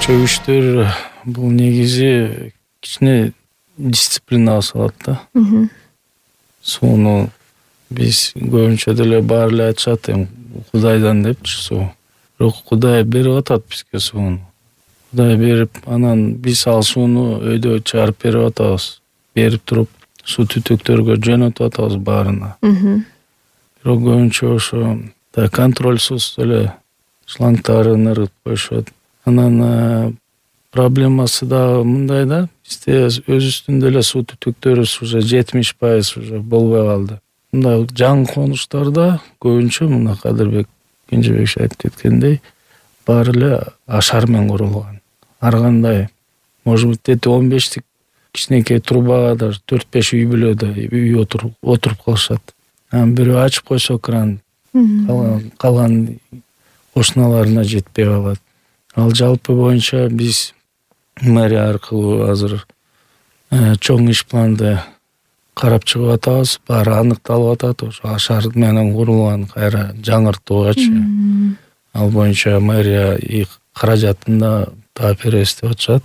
Чөгүчтөр бул негизи кичине дисциплинага салат да. Сууну биз көбүнчө деле баары эле айтышат Кудайдан депчи суу. Бирок Кудай берип атат бизге сууну. Кудай берип, анан биз ал сууну өйдө чыгарып берип атабыз. Берип туруп суу түтүктөргө жөнөтүп атабыз баарына. Бирок көбүнчө ошо контрольсуз эле шлангдарын ыргытып коюшат. Анан проблемасы дагы мындай да, бизде өзүбүздүн деле суу түтүктөрүбүз уже 70% уже болбой калды. Мындай жаңы конуштарда көбүнчө мына Кадырбек Кенжебек айтып кеткендей, баары эле ашар менен курулган. Ар кандай, может быть, 15тик кичинекей трубага даже 4-5 үй бүлөдө үй отуруп калышат. Анан бирөө ачып койсо кран, калган кошуналарына жетпей калат. Ал жалпы боюнча биз мэрия аркылуу азыр чоң иш планды карап чыгып атабыз. Баары аныкталып атат. Ошо ашар менен курулган кайра жаңыртуугачы. Ал боюнча мэрия каражатын да таап беребиз деп атышат.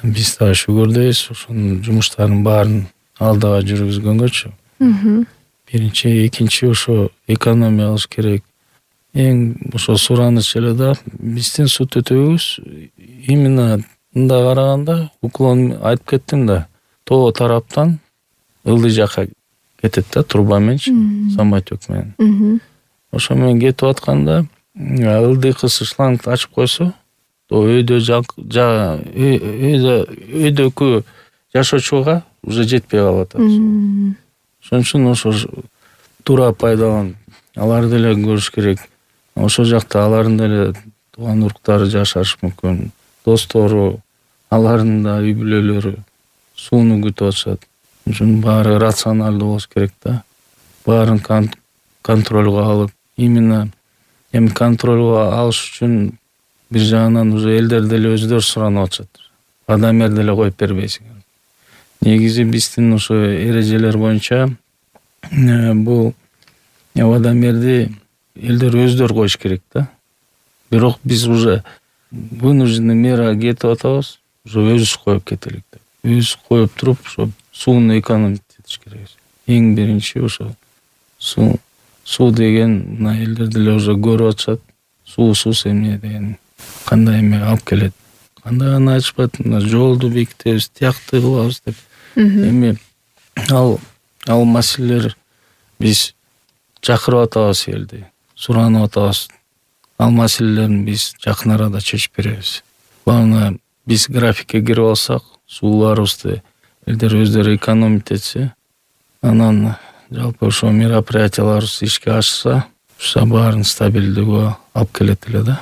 Биз дагы шүгүрдөйбүз. Ошонун жумуштарын баарын алдыга жүргүзгөнгөчү. Биринчи, экинчи ошо экономия кылыш керек. Эң ошо сураныч эле да, биздин суу түтүгүбүз именно мындай караганда, уклон айтып кеттим да, тоо тараптан ылдый жакка кетет да, труба мененчи, самотек менен. Ошо менен кетип атканда, ылдыйкысы шлангды ачып койсо, өйдөкү жашоочуга уже жетпей калып атат. Ошон үчүн ошо туура пайдаланып, аларды деле көрүш керек. Ошол жакта алардын деле тууган уруктары жашашы мүмкүн. Достору, алардын да үй бүлөлөрү сууну күтүп атышат. Ошон үчүн баары рационалдуу болуш керек да. Баарын контролго алып, именно контролго алыш үчүн бир жагынан уже элдер деле өздөрү суранып атышат. Водомер деле коюп бербейсиңер. Негизи биздин ошо эрежелер боюнча бул водомерди элдер өздөрү коюш керек да. Бирок биз уже вынужденный мерага кетип атабыз, уже өзүбүз коюп кетелик деп. Өзүбүз коюп туруп, ошо сууну экономить этиш керек. Эң биринчи ошо суу деген мына элдер деле уже көрүп атышат. Суусуз эмне деген кандай эме алып келет. Кандай гана айтышпайт, мына жолду бекитебиз, тиякты кылабыз деп. Эми ал маселелер биз чакырып атабыз элди, суранып атабыз. Ал маселелерин биз жакын арада чечип беребиз. Главное, биз графикке кирип алсак, сууларыбызды элдер өздөрү экономить этсе, анан жалпы ошо мероприятияларыбыз ишке ашса, баарын стабилдүүгө алып келет эле да.